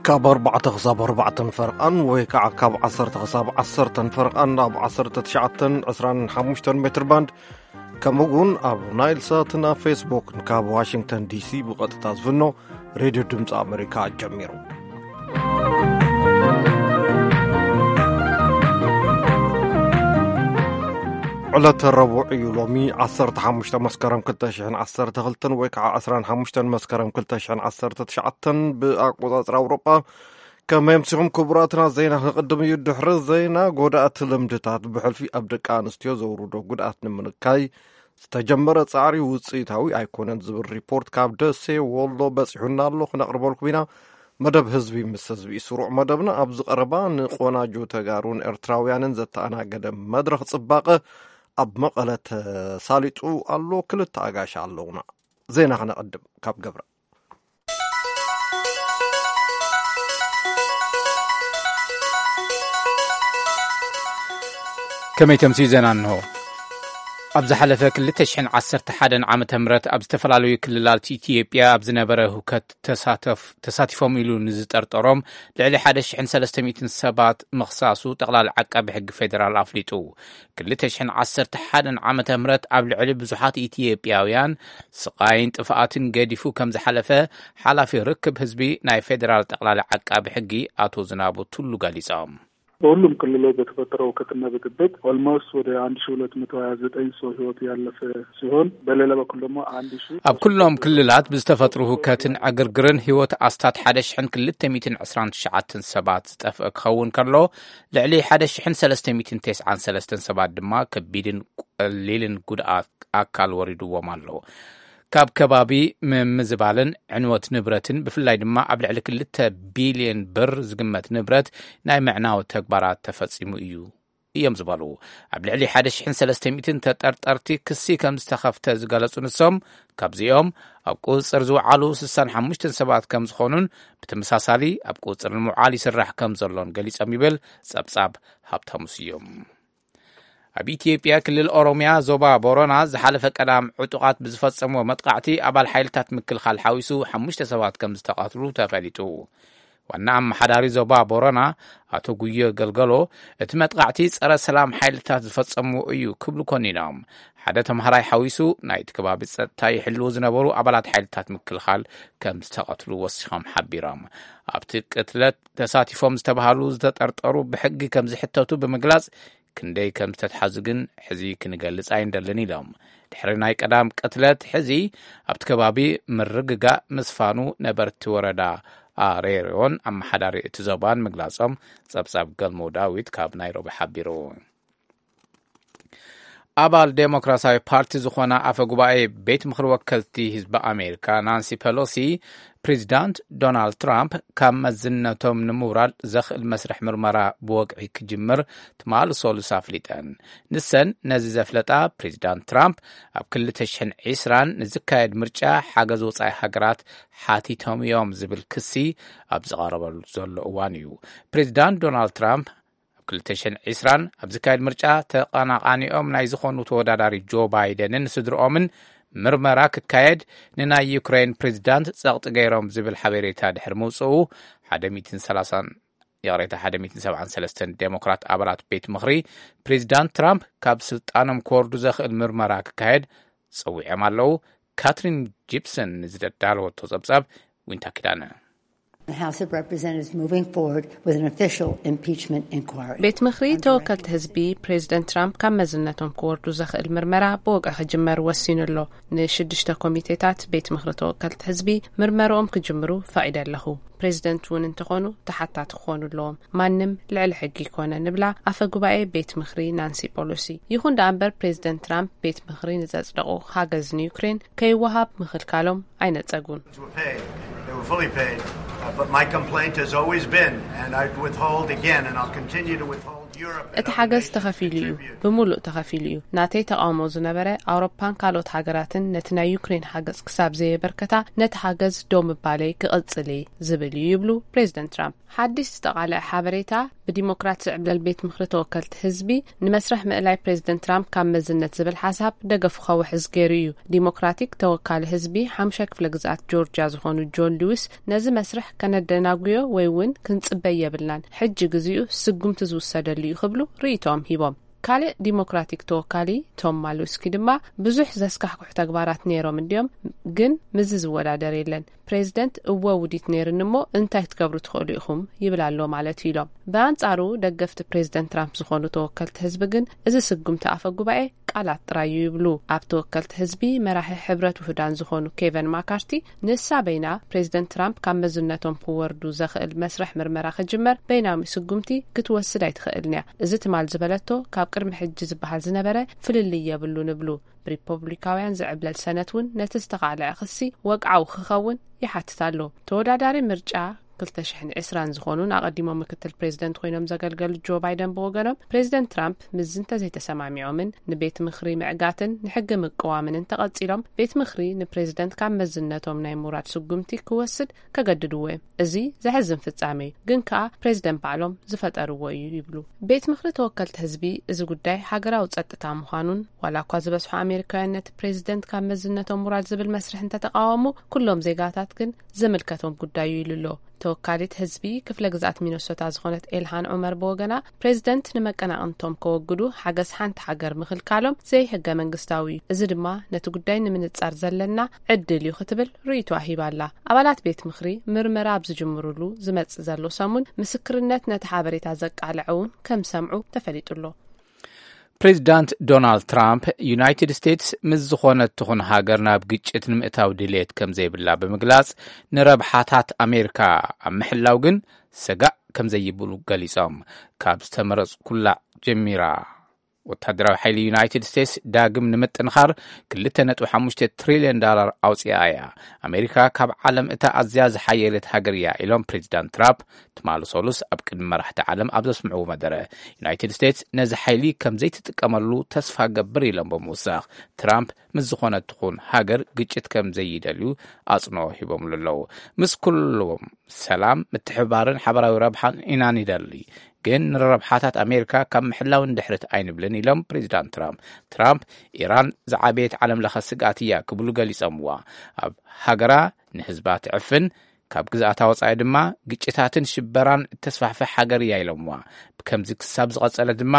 ካብ ኣርባዕተ ክሳብ ኣርባዕተን ፈርቓን ወይ ከዓ ካብ ዓሰርተ ክሳብ ዓሰርተን ፈርቓን ኣብ ዓሰርተ ትሽዓተን ዕስራን ሓሙሽተን ሜትር ባንድ፣ ከምኡ እውን ኣብ ናይል ሳትን ኣብ ፌስቡክን ካብ ዋሽንግተን ዲሲ ብቐጥታ ዝፍኖ ሬድዮ ድምፂ ኣሜሪካ ጀሚሩ። ዕለተ ረቡዕ እዩ። ሎሚ ዓሰርተ ሓሙሽተ መስከረም ክልተ ሽሕን ዓሰርተ ክልተን ወይ ከዓ ዕስራን ሓሙሽተን መስከረም ክልተ ሽሕን ዓሰርተ ትሽዓተን ብኣቆፃፅራ ኣውሮጳ። ከመይ ኣምሲኹም ክቡራትና? ዜና ክቕድም እዩ። ድሕሪ ዜና፣ ጎዳእቲ ልምድታት ብሕልፊ ኣብ ደቂ ኣንስትዮ ዘውርዶ ጉድኣት ንምንካይ ዝተጀመረ ጻዕሪ ውጽኢታዊ ኣይኮነን ዝብል ሪፖርት ካብ ደሴ ወሎ በጺሑና ኣሎ። ክነቕርበልኩም ኢና። መደብ ህዝቢ ምስ ህዝቢ፣ ስሩዕ መደብና ኣብዚ ቀረባ ንቆናጁ ተጋሩን ኤርትራውያንን ዘተኣናገደ መድረኽ ጽባቐ ኣብ መቐለ ተሳሊጡ ኣሎ። ክልተ ኣጋሻ ኣለውና። ዜና ክነቐድም ካብ ገብረ። ከመይ ተምስዩ ዜና እንሆ። ኣብ ዝሓለፈ ክልተ ሽሕን ዓሰርተ ሓደን ዓመተ ምህረት ኣብ ዝተፈላለዩ ክልላት ኢትዮጵያ ኣብ ዝነበረ ሁከት ተሳተፍ-፣ ተሳቲፎም ኢሉ ንዝጠርጠሮም ልዕሊ ሓደ ሽሕን ሰለስተ ሚእትን ሰባት ምኽሳሱ ጠቕላሊ ዓቃቢ ሕጊ ፌደራል ኣፍሊጡ። ክልተ ሽሕን ዓሰርተ ሓደን ዓመተ ምህረት ኣብ ልዕሊ ብዙሓት ኢትዮጵያውያን ስቓይን ጥፍኣትን ገዲፉ ከም ዝሓለፈ ሓላፊ ርክብ ህዝቢ ናይ ፌደራል ጠቕላሊ ዓቃቢ ሕጊ ኣቶ ዝናቡ ቱሉ ገሊጾም። በሁሉም ክልሎች በተፈጠረው ሁከትና ብጥብጥ ኦልሞስት ወደ አንድ ሺህ ሁለት መቶ ሃያ ዘጠኝ ሰው ህይወቱ ያለፈ ሲሆን፣ በሌላ በኩል ደግሞ አንድ ሺህ ኣብ ኩሎም ክልላት ብዝተፈጥሩ ሁከትን ዕግርግርን ህይወት ኣስታት ሓደ ሽሕን ክልተ ሚእትን ዕስራን ትሽዓተን ሰባት ዝጠፍአ ክኸውን ከሎ፣ ልዕሊ ሓደ ሽሕን ሰለስተ ሚእትን ተስዓን ሰለስተን ሰባት ድማ ከቢድን ቀሊልን ጉድኣት ኣካል ወሪድዎም ኣሎ። ካብ ከባቢ ምምዝባልን ዕንወት ንብረትን፣ ብፍላይ ድማ ኣብ ልዕሊ ክልተ ቢልዮን ብር ዝግመት ንብረት ናይ ምዕናው ተግባራት ተፈጺሙ እዩ እዮም ዝበሉ። ኣብ ልዕሊ ሓደ ሽሕን ሰለስተ ሚእትን ተጠርጠርቲ ክሲ ከም ዝተኸፍተ ዝገለጹ ንሶም፣ ካብዚኦም ኣብ ቁጽጽር ዝወዓሉ ስሳን ሓሙሽተን ሰባት ከም ዝኾኑን፣ ብተመሳሳሊ ኣብ ቁጽጽር ንምውዓል ይስራሕ ከም ዘሎን ገሊጾም ይብል ጸብጻብ ሃብታሙ ስዩም። ኣብ ኢትዮጵያ ክልል ኦሮሚያ ዞባ ቦረና ዝሓለፈ ቀዳም ዕጡቓት ብዝፈጸምዎ መጥቃዕቲ ኣባል ሓይልታት ምክልኻል ሓዊሱ ሓሙሽተ ሰባት ከም ዝተቐትሉ ተፈሊጡ። ዋና ኣመሓዳሪ ዞባ ቦረና ኣቶ ጉዮ ገልገሎ፣ እቲ መጥቃዕቲ ጸረ ሰላም ሓይልታት ዝፈጸምዎ እዩ ክብሉ ኮኒኖም። ሓደ ተምሃራይ ሓዊሱ ናይቲ ከባቢ ጸጥታ ይሕልዉ ዝነበሩ ኣባላት ሓይልታት ምክልኻል ከም ዝተቐትሉ ወሲኾም ሓቢሮም። ኣብቲ ቅትለት ተሳቲፎም ዝተባሃሉ ዝተጠርጠሩ ብሕጊ ከም ዝሕተቱ ብምግላጽ፣ ክንደይ ከም ዝተትሓዙ ግን ሕዚ ክንገልጽ ኣይንደልን ኢሎም። ድሕሪ ናይ ቀዳም ቅትለት ሕዚ ኣብቲ ከባቢ ምርግጋእ ምስፋኑ ነበርቲ ወረዳ ኣሬርዮን ኣመሓዳሪ እቲ ዞባን ምግላጾም ጸብጻብ ገልሞ ዳዊት ካብ ናይሮቢ ሓቢሩ። ኣባል ዴሞክራሲያዊ ፓርቲ ዝኾና ኣፈ ጉባኤ ቤት ምኽሪ ወከልቲ ህዝቢ ኣሜሪካ ናንሲ ፐሎሲ፣ ፕሬዚዳንት ዶናልድ ትራምፕ ካብ መዝነቶም ንምውራድ ዘኽእል መስርሕ ምርመራ ብወግዒ ክጅምር ትማሊ ሰሉስ ኣፍሊጠን። ንሰን ነዚ ዘፍለጣ፣ ፕሬዚዳንት ትራምፕ ኣብ ክልተ ሽሕን ዕስራን ንዝካየድ ምርጫ ሓገዝ ወጻኢ ሃገራት ሓቲቶም እዮም ዝብል ክሲ ኣብ ዝቐረበሉ ዘሎ እዋን እዩ። ፕሬዚዳንት ዶናልድ ትራምፕ ኣብ ክልተ ሽሕን ዕስራን ኣብ ዝካየድ ምርጫ ተቐናቓኒኦም ናይ ዝኾኑ ተወዳዳሪ ጆ ባይደንን ስድርኦምን ምርመራ ክካየድ ንናይ ዩክሬን ፕሬዚዳንት ጸቕጢ ገይሮም ዝብል ሓበሬታ ድሕሪ ምውጽኡ፣ ሓደ ሚእትን ሰላሳን፣ ይቕሬታ፣ ሓደ ሚእትን ሰብዓን ሰለስተን ዴሞክራት ኣባላት ቤት ምኽሪ ፕሬዚዳንት ትራምፕ ካብ ስልጣኖም ክወርዱ ዘኽእል ምርመራ ክካየድ ጸዊዖም ኣለዉ። ካትሪን ጂፕሰን ንዝደዳለወቶ ጸብጻብ ዊንታ ኪዳነ። The House of Representatives moving forward with an official impeachment inquiry. ቤት ምኽሪ ተወከልቲ ህዝቢ ፕሬዚደንት ትራምፕ ካብ መዝነቶም ክወርዱ ዘኽእል ምርመራ ብወግዒ ክጅመር ወሲኑ ኣሎ። ንሽዱሽተ ኮሚቴታት ቤት ምኽሪ ተወከልቲ ህዝቢ ምርመርኦም ክጅምሩ ፈቒደ ኣለኹ። ፕሬዚደንት እውን እንተኾኑ ተሓታቲ ክኾኑ ኣለዎም። ማንም ልዕሊ ሕጊ ይኮነ ንብላ ኣፈ ጉባኤ ቤት ምኽሪ ናንሲ ፖሎሲ። ይኹን ደኣ እምበር ፕሬዚደንት ትራምፕ ቤት ምኽሪ ንዘጽደቑ ሓገዝ ንዩክሬን ከይወሃብ ምኽልካሎም ኣይነጸጉን። They were paid. They were fully paid. Uh, but my complaint has always been, and I withhold again, and I'll continue to withhold. እቲ ሓገዝ ተኸፊሉ እዩ፣ ብምሉእ ተኸፊሉ እዩ። ናተይ ተቓውሞ ዝነበረ ኣውሮፓን ካልኦት ሃገራትን ነቲ ናይ ዩክሬን ሓገዝ ክሳብ ዘየበርከታ ነቲ ሓገዝ ደው ምባለይ ክቕጽል እየ ዝብል እዩ ይብሉ ፕሬዚደንት ትራምፕ። ሓድሽ ዝተቓልዐ ሓበሬታ ብዲሞክራት ዝዕብለል ቤት ምኽሪ ተወከልቲ ህዝቢ ንመስርሕ ምእላይ ፕሬዚደንት ትራምፕ ካብ መዝነት ዝብል ሓሳብ ደገፉ ከውሕዝ ገይሩ እዩ። ዲሞክራቲክ ተወካሊ ህዝቢ ሓሙሻይ ክፍለ ግዝኣት ጆርጂያ ዝኾኑ ጆን ሉዊስ ነዚ መስርሕ ከነደናጉዮ ወይ እውን ክንጽበይ የብልናን፣ ሕጂ ግዚኡ ስጉምቲ ዝውሰደሉ እዩ ክብሉ ርእይቶኦም ሂቦም። ካልእ ዲሞክራቲክ ተወካሊ ቶም ማሉስኪ ድማ ብዙሕ ዘስካሕኩሕ ተግባራት ነይሮም እንድዮም፣ ግን ምስዚ ዝወዳደር የለን። ፕሬዚደንት እወ ውዲት ነይርኒ እሞ እንታይ ክትገብሩ ትኽእሉ ኢኹም ይብል ኣሎ ማለት እዩ ኢሎም። ብኣንጻሩ ደገፍቲ ፕሬዚደንት ትራምፕ ዝኾኑ ተወከልቲ ህዝቢ ግን እዚ ስጉምቲ ኣፈ ጉባኤ ቃላት ጥራይ እዩ ይብሉ። ኣብ ተወከልቲ ህዝቢ መራሒ ሕብረት ውህዳን ዝኾኑ ኬቨን ማካርቲ ንሳ በይና ፕሬዚደንት ትራምፕ ካብ መዝነቶም ክወርዱ ዘኽእል መስርሕ ምርመራ ክጅመር በይናዊ ስጉምቲ ክትወስድ ኣይትኽእልን እያ። እዚ ትማል ዝበለቶ ካብ ቅድሚ ሕጂ ዝበሃል ዝነበረ ፍልልይ የብሉን ይብሉ። ብሪፐብሊካውያን ዝዕብለል ሰነት እውን ነቲ ዝተቓልዐ ክሲ ወግዓዊ ክኸውን ይሓትት ኣሎ። ተወዳዳሪ ምርጫ ክልተ ሽሕን ዕስራን ዝኾኑን ኣቐዲሞም ምክትል ፕሬዚደንት ኮይኖም ዘገልገሉ ጆ ባይደን ብወገኖም ፕሬዚደንት ትራምፕ ምስዚ እንተዘይተሰማሚዖምን ንቤት ምኽሪ ምዕጋትን ንሕጊ ምቅዋምን እንተቐጺሎም ቤት ምኽሪ ንፕሬዚደንት ካብ መዝነቶም ናይ ምውራድ ስጉምቲ ክወስድ ከገድድዎ እዮም። እዚ ዘሕዝን ፍጻሜ እዩ፣ ግን ከኣ ፕሬዚደንት ባዕሎም ዝፈጠርዎ እዩ ይብሉ። ቤት ምኽሪ ተወከልቲ ህዝቢ እዚ ጉዳይ ሃገራዊ ጸጥታ ምዃኑን ዋላ እኳ ዝበዝሑ ኣሜሪካውያን ነቲ ፕሬዚደንት ካብ መዝነቶም ምውራድ ዝብል መስርሕ እንተተቃወሙ ኩሎም ዜጋታት ግን ዝምልከቶም ጉዳይ እዩ ኢሉ ኣሎ። ተወካሊት ህዝቢ ክፍለ ግዝኣት ሚነሶታ ዝኾነት ኤልሃን ዑመር ብወገና ፕሬዚደንት ንመቀናቕንቶም ከወግዱ ሓገዝ ሓንቲ ሃገር ምኽልካሎም ዘይሕገ መንግስታዊ እዩ። እዚ ድማ ነቲ ጉዳይ ንምንጻር ዘለና ዕድል እዩ ክትብል ርእይቶ ኣሂባ ኣላ። ኣባላት ቤት ምኽሪ ምርመራ ኣብ ዝጅምሩሉ ዝመጽእ ዘሎ ሰሙን ምስክርነት ነቲ ሓበሬታ ዘቃልዐ እውን ከም ሰምዑ ተፈሊጡ ኣሎ። ፕሬዚዳንት ዶናልድ ትራምፕ ዩናይትድ ስቴትስ ምስ ዝኾነት ትኹን ሃገር ናብ ግጭት ንምእታው ድሌት ከም ዘይብላ ብምግላጽ ንረብሓታት ኣሜሪካ ኣብ ምሕላው ግን ሰጋእ ከም ዘይብሉ ገሊጾም። ካብ ዝተመረጽኩላ ጀሚራ ወታደራዊ ሓይሊ ዩናይትድ ስቴትስ ዳግም ንምጥንኻር ክልተ ነጥቢ ሓሙሽተ ትሪልዮን ዳላር ኣውፅኣ እያ። ኣሜሪካ ካብ ዓለም እታ ኣዝያ ዝሓየለት ሃገር እያ ኢሎም ፕሬዚዳንት ትራምፕ ትማሊ ሰሉስ ኣብ ቅድሚ መራሕቲ ዓለም ኣብ ዘስምዕዎ መደረ። ዩናይትድ ስቴትስ ነዚ ሓይሊ ከም ዘይትጥቀመሉ ተስፋ ገብር ኢሎም ብምውሳኽ ትራምፕ ምስ ዝኾነት ትኹን ሃገር ግጭት ከም ዘይደልዩ ኣፅንኦ ሂቦምሉ ኣለዉ። ምስ ኩሎም ሰላም፣ ምትሕብባርን ሓበራዊ ረብሓን ኢና ንደሊ፣ ግን ንረብሓታት ኣሜሪካ ካብ ምሕላው ንድሕሪት ኣይንብልን ኢሎም ፕሬዚዳንት ትራምፕ። ትራምፕ ኢራን ዝዓበየት ዓለም ለኸ ስግኣት እያ ክብሉ ገሊጾምዋ። ኣብ ሃገራ ንህዝባ ትዕፍን ካብ ግዝኣታ ወጻኢ ድማ ግጭታትን ሽበራን እተስፋሕፍሕ ሃገር እያ ኢሎምዋ። ብከምዚ ክሳብ ዝቐጸለ ድማ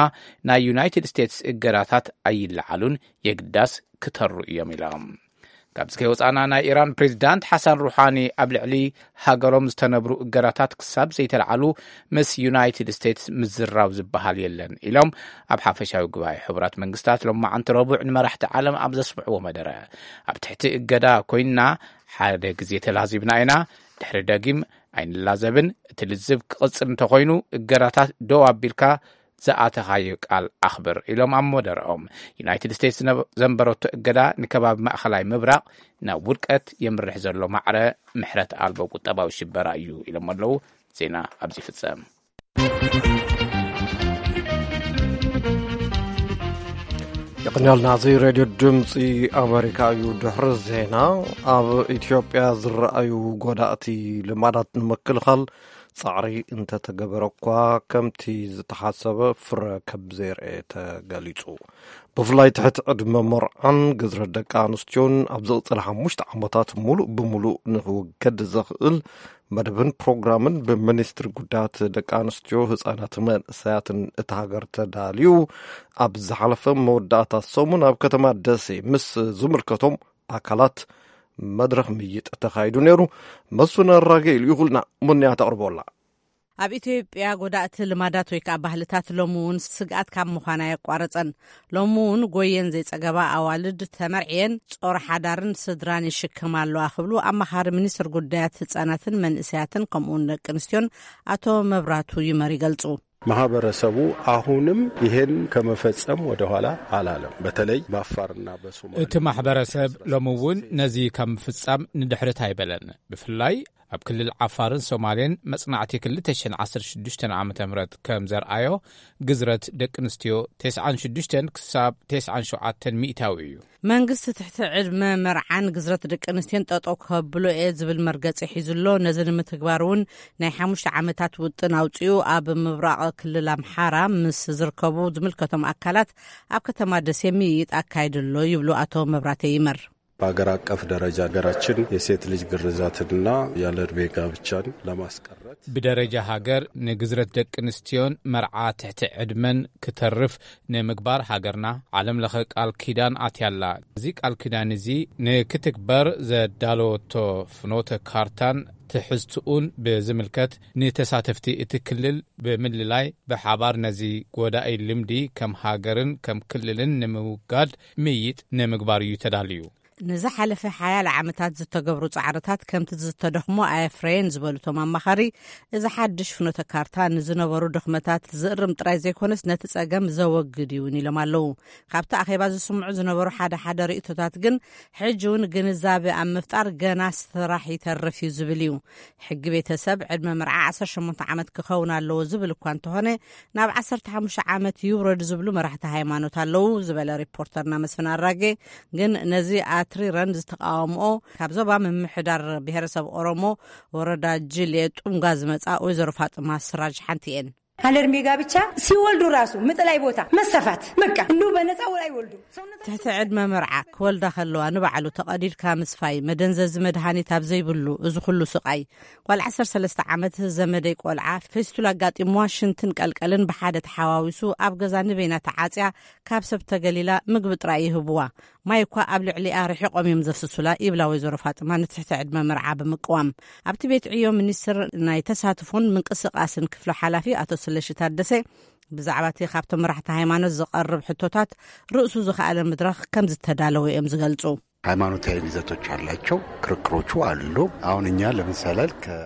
ናይ ዩናይትድ ስቴትስ እገዳታት ኣይለዓሉን፣ የግዳስ ክተሩ እዮም ኢሎም። ካብዚ ከይወፃና ናይ ኢራን ፕሬዚዳንት ሓሳን ሩሓኒ ኣብ ልዕሊ ሃገሮም ዝተነብሩ እገዳታት ክሳብ ዘይተለዓሉ ምስ ዩናይትድ ስቴትስ ምዝራብ ዝበሃል የለን ኢሎም ኣብ ሓፈሻዊ ጉባኤ ሕቡራት መንግስታት ሎማዓንቲ ረቡዕ ንመራሕቲ ዓለም ኣብ ዘስምዕዎ መደረ። ኣብ ትሕቲ እገዳ ኮይንና ሓደ ግዜ ተላዚብና ኢና፣ ድሕሪ ደጊም ኣይንላዘብን። እቲ ልዝብ ክቕፅል እንተኮይኑ እገዳታት ደው ኣቢልካ ዝኣተኻዮ ቃል ኣኽብር ኢሎም ኣብ መደረኦም። ዩናይትድ ስቴትስ ዘንበረቶ እገዳ ንከባቢ ማእኸላይ ምብራቕ ናብ ውድቀት የምርሕ ዘሎ ማዕረ ምሕረት ኣልቦ ቁጠባዊ ሽበራ እዩ ኢሎም ኣለዉ። ዜና ኣብዚ ይፍጸም። የቕንያልና። እዚ ሬድዮ ድምፂ ኣሜሪካ እዩ። ድሕሪ ዜና ኣብ ኢትዮጵያ ዝረኣዩ ጎዳእቲ ልማዳት ንምክልኻል ጻዕሪ እንተተገበረ እኳ ከምቲ ዝተሓሰበ ፍረ ከም ዘየርኤ ተገሊጹ። ብፍላይ ትሕቲ ዕድመ መርዓን ግዝረት ደቂ ኣንስትዮን ኣብ ዝቕጽል ሓሙሽተ ዓመታት ሙሉእ ብሙሉእ ንክውገድ ዘኽእል መደብን ፕሮግራምን ብሚኒስትሪ ጉዳያት ደቂ ኣንስትዮ ህጻናትን መንእሰያትን እታ ሃገር ተዳልዩ ኣብ ዝሓለፈ መወዳእታ ሰሙን ኣብ ከተማ ደሴ ምስ ዝምልከቶም ኣካላት መድረኽ ምይጥ ተኻይዱ ነይሩ። መስፍን ኣራጌ ኢሉ ይኹልና ሙንያ ተቕርቦላ። ኣብ ኢትዮጵያ ጎዳእቲ ልማዳት ወይ ከዓ ባህልታት ሎሚ እውን ስግኣት ካብ ምዃን ኣየቋረፀን። ሎሚ እውን ጎየን ዘይፀገባ ኣዋልድ ተመርዕየን ጾር ሓዳርን ስድራን ይሽከማ ኣለዋ ክብሉ ኣማኻሪ ሚኒስትር ጉዳያት ህፃናትን መንእሰያትን ከምኡውን ደቂ ኣንስትዮን ኣቶ መብራቱ ይመር ይገልፁ። ማህበረሰቡ አሁንም ይሄን ከመፈጸም ወደኋላ አላለም። በተለይ በአፋርና በሶማሌ እቲ ማሕበረሰብ ሎሚ እውን ነዚ ካብ ምፍጻም ንድሕሪት ኣይበለን። ብፍላይ ኣብ ክልል ዓፋርን ሶማሌን መጽናዕቲ ክልተ ሽሕን ዓሰርተ ሽዱሽተን ዓመተ ምህረት ከም ዘርኣዮ፣ ግዝረት ደቂ ኣንስትዮ ተስዓን ሽዱሽተን ክሳብ ተስዓን ሸውዓተን ሚእታዊ እዩ። መንግስቲ ትሕቲ ዕድመ መርዓን ግዝረት ደቂ ኣንስትዮን ጠጠው ከብሎ እየ ዝብል መርገጺ ሒዙ ኣሎ። ነዚ ንምትግባር እውን ናይ ሓሙሽተ ዓመታት ውጥን ኣውጺኡ፣ ኣብ ምብራቕ ክልል ኣምሓራ ምስ ዝርከቡ ዝምልከቶም ኣካላት ኣብ ከተማ ደሴ ምይይጥ ኣካይዱ ኣሎ ይብሉ ኣቶ መብራቴ ይመር። በሀገር አቀፍ ደረጃ ሀገራችን የሴት ልጅ ግርዛትንና ያለ ዕድሜ ጋብቻን ለማስቀረት ብደረጃ ሃገር ንግዝረት ደቂ ኣንስትዮን መርዓ ትሕቲ ዕድመን ክተርፍ ንምግባር ሃገርና ዓለም ለኸ ቃል ኪዳን ኣትያላ። እዚ ቃል ኪዳን እዚ ንክትግበር ዘዳለወቶ ፍኖተ ካርታን ትሕዝትኡን ብዝምልከት ንተሳተፍቲ እቲ ክልል ብምልላይ ብሓባር ነዚ ጎዳኢ ልምዲ ከም ሃገርን ከም ክልልን ንምውጋድ ምይጥ ንምግባር እዩ ተዳልዩ። ንዝሓለፈ ሓያለ ዓመታት ዝተገብሩ ጻዕርታት ከምቲ ዝተደኽሞ ኣየፍረየን ዝበሉ እቶም ኣማኻሪ፣ እዚ ሓድሽ ፍኖተ ካርታ ንዝነበሩ ድኽመታት ዝእርም ጥራይ ዘይኮነስ ነቲ ጸገም ዘወግድ እውን ኢሎም ኣለዉ። ካብቲ ኣኼባ ዝስምዑ ዝነበሩ ሓደ ሓደ ርእይቶታት ግን ሕጂ እውን ግንዛበ ኣብ ምፍጣር ገና ስራሕ ይተርፍ እዩ ዝብል እዩ። ሕጊ ቤተሰብ ዕድመ መርዓ ዓሰርተ ሸሞንተ ዓመት ክኸውን ኣለዎ ዝብል እኳ እንተኾነ፣ ናብ ዓሰርተ ሓሙሽተ ዓመት ይውረድ ዝብሉ መራሕቲ ሃይማኖት ኣለዉ ዝበለ ሪፖርተርና መስፍን ኣራጌ፣ ግን ነዚ ኣትሪረን ዝተቃወምኦ ካብ ዞባ ምምሕዳር ብሄረሰብ ኦሮሞ ወረዳ ጅሌ ጡምጋ ዝመጻ ወይዘሮ ፋጥማ ስራጅ ሓንቲ እየን። አለእድሜ ጋብቻ ሲወልዱ ራሱ ምጥላይ ቦታ መሰፋት በቃ እንዲሁ በነፃ ወላ ይወልዱ። ትሕቲ ዕድመ መርዓ ክወልዳ ከለዋ ንባዕሉ ተቐዲድካ ምስፋይ፣ መደንዘዚ መድሃኒት ኣብ ዘይብሉ፣ እዚ ኩሉ ስቓይ። ጓል ዓሰርተ ሰለስተ ዓመት ዘመደይ ቆልዓ ፌስቱላ ኣጋጢምዋ ሽንትን ቀልቀልን ብሓደ ተሓዋዊሱ ኣብ ገዛ ንበይና ተዓጽያ፣ ካብ ሰብ ተገሊላ ምግቢ ጥራይ ይህብዋ። ማይ እኳ ኣብ ልዕሊኣ ርሒቖም እዮም ዘፍስሱላ ይብላ ወይዘሮ ፋጥማ ንትሕቲ ዕድመ መርዓ ብምቅዋም። ኣብቲ ቤት ዕዮ ሚኒስትር ናይ ተሳትፎን ምንቅስቃስን ክፍሎ ሓላፊ ኣቶ ስለሺ ታደሰ ብዛዕባ እቲ ካብቶም መራሕቲ ሃይማኖት ዝቐርብ ሕቶታት ርእሱ ዝኸኣለ መድረኽ ከም ዝተዳለወ እዮም ዝገልጹ። ሃይማኖታዊ ይዘቶች አላቸው፣ ክርክሮቹ አሉ። አሁን እኛ ለምሳሌ ከ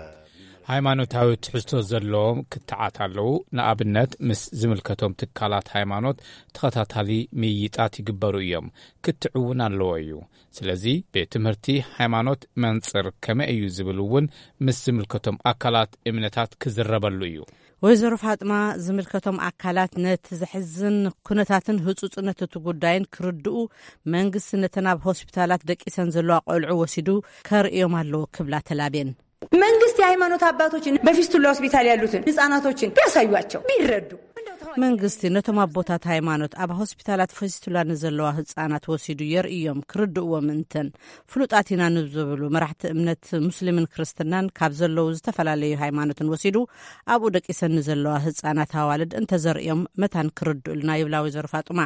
ሃይማኖታዊ ትሕዝቶ ዘለዎም ክትዓት ኣለዉ። ንኣብነት ምስ ዝምልከቶም ትካላት ሃይማኖት ተኸታታሊ ምይይጣት ይግበሩ እዮም። ክትዕ እውን ኣለዎ እዩ። ስለዚ ቤት ትምህርቲ ሃይማኖት መንጽር ከመይ እዩ ዝብል እውን ምስ ዝምልከቶም ኣካላት እምነታት ክዝረበሉ እዩ። ወይዘሮ ፋጥማ ዝምልከቶም ኣካላት ነቲ ዘሕዝን ኩነታትን ህጹጽነት እቲ ጉዳይን ክርድኡ፣ መንግስቲ ነተን ኣብ ሆስፒታላት ደቂሰን ዘለዋ ቆልዑ ወሲዱ ከርእዮም ኣለዎ ክብላ ተላብየን። መንግስት የሃይማኖት አባቶችን በፊስቱላ ሆስፒታል ያሉትን ህጻናቶችን ቢያሳዩአቸው ቢረዱ። መንግስቲ ነቶም ኣቦታት ሃይማኖት ኣብ ሆስፒታላት ፌስቱላ ንዘለዋ ህጻናት ወሲዱ የርእዮም፣ ክርድእዎም እንተን ፍሉጣት ኢና ንዝብሉ መራሕቲ እምነት ሙስሊምን ክርስትናን ካብ ዘለዉ ዝተፈላለዩ ሃይማኖትን ወሲዱ ኣብኡ ደቂሰን ንዘለዋ ህጻናት ኣዋልድ እንተዘርእዮም መታን ክርድኡልና ይብላ ወይዘሮ ፋጡማ።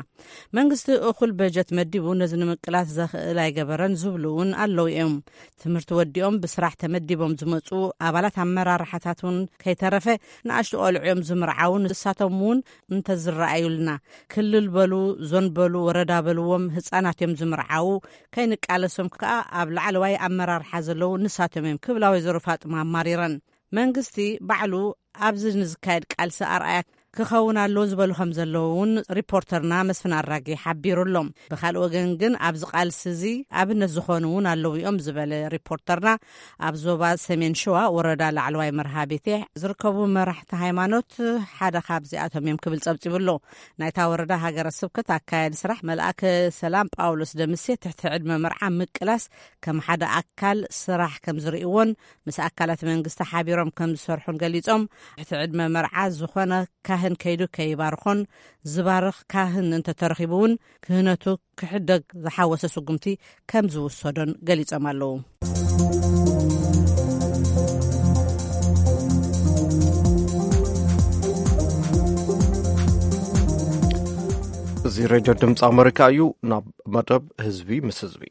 መንግስቲ እኹል በጀት መዲቡ ነዚ ንምቅላስ ዘኽእል ኣይገበረን ዝብሉ እውን ኣለዉ እዮም። ትምህርቲ ወዲኦም ብስራሕ ተመዲቦም ዝመጹ ኣባላት ኣመራርሓታት እውን ከይተረፈ ንኣሽቱ ቆልዑ እዮም ዝምርዓዉ። ንሳቶም እውን እንተዝረኣዩልና ክልል በሉ፣ ዞን በሉ፣ ወረዳ በልዎም ህጻናት እዮም ዝምርዓዉ። ከይንቃለሶም ከኣ ኣብ ላዕለዋይ ኣመራርሓ ዘለዉ ንሳቶም እዮም ክብላ ወይዘሮ ፋጥማ ኣማሪረን። መንግስቲ ባዕሉ ኣብዚ ንዝካየድ ቃልሲ ኣርኣያ ክኸውን ኣለዎ ዝበሉ ከም ዘለዉ እውን ሪፖርተርና መስፍን ኣራጌ ሓቢሩ ኣሎ። ብኻልእ ወገን ግን ኣብዚ ቃልሲ እዚ ኣብነት ዝኾኑ እውን ኣለዉ እዮም ዝበለ ሪፖርተርና፣ ኣብ ዞባ ሰሜን ሸዋ ወረዳ ላዕለዋይ መርሃ ቤቴ ዝርከቡ መራሕቲ ሃይማኖት ሓደ ካብዚኣቶም እዮም ክብል ጸብጺቡ ኣሎ። ናይታ ወረዳ ሃገረ ስብከት ኣካያዲ ስራሕ መልኣከ ሰላም ጳውሎስ ደምሴ ትሕቲ ዕድመ መርዓ ምቅላስ ከም ሓደ ኣካል ስራሕ ከም ዝርእይዎን ምስ ኣካላት መንግስቲ ሓቢሮም ከም ዝሰርሑን ገሊጾም፣ ትሕቲ ዕድመ መርዓ ዝኾነ ካህን ከይዱ ከይባርኾን ዝባርኽ ካህን እንተተረኺቡ እውን ክህነቱ ክሕደግ ዝሓወሰ ስጉምቲ ከም ዝውሰዶን ገሊጾም ኣለዉ። እዚ ሬድዮ ድምፂ ኣመሪካ እዩ። ናብ መደብ ህዝቢ ምስ ህዝቢ።